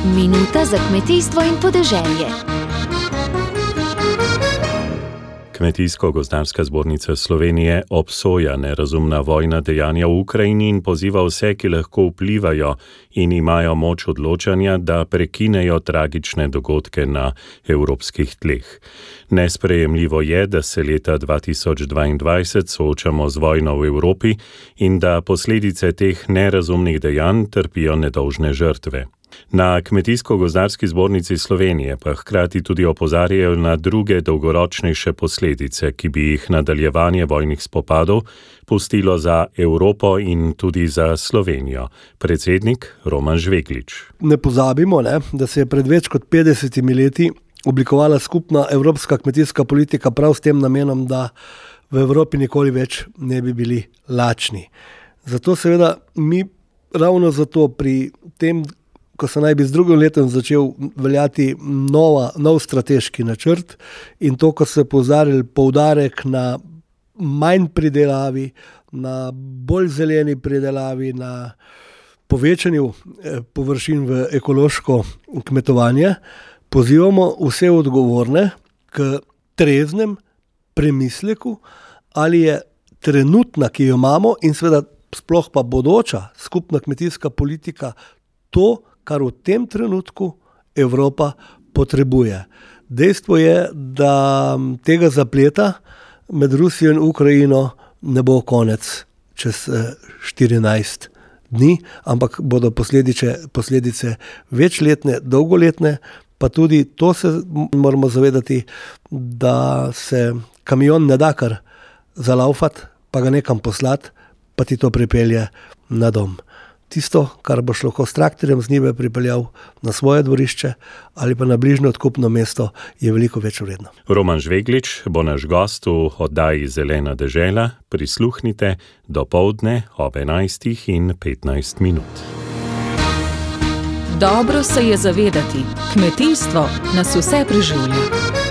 Minuta za kmetijstvo in podeželje. Kmetijsko-gozdarska zbornica Slovenije obsoja nerazumna vojna dejanja v Ukrajini in poziva vse, ki lahko vplivajo in imajo moč odločanja, da prekinejo tragične dogodke na evropskih tleh. Nesprejemljivo je, da se leta 2022 soočamo z vojno v Evropi in da posledice teh nerazumnih dejanj trpijo nedolžne žrtve. Na Kmetijsko-gozdarski zbornici Slovenije pa hkrati tudi opozarjajo na druge dolgoročnejše posledice, ki bi jih nadaljevanje vojnih spopadov pustilo za Evropo in tudi za Slovenijo. Predsednik Roman Žveglič. Ne pozabimo, da se je pred več kot 50 leti oblikovala skupna evropska kmetijska politika prav s tem namenom, da v Evropi nikoli več ne bi bili lačni. Zato seveda mi ravno zato pri tem, ko se naj bi z drugim letom začel veljati nov strateški načrt in to, ko se je poudarek na manj pridelavi, na bolj zeleni pridelavi, na povečanju površin v ekološko kmetovanje, pozivamo vse odgovorne k treznem premisleku, ali je trenutna, ki jo imamo, in seveda sploh pa bodoča skupna kmetijska politika to, kar v tem trenutku Evropa potrebuje. Dejstvo je, da tega zapleta med Rusijo in Ukrajino ne bo konec čez 14 dni, ampak bodo posledice večletne, dolgoletne, pa tudi to se moramo zavedati, da se kamion ne da kar zalaufati, pa ga nekam poslati, pa ti to pripelje na dom. Tisto, kar boš lahko s traktorjem z njive pripeljal na svoje dvorišče ali pa na bližnje odkupno mesto, je veliko več vredno. Roman Žveglič bo naš gost v oddaji Zelena dežela. Prisluhnite dopoldne ob 11:15. Dobro se je zavedati, kmetijstvo nas vse preživlja.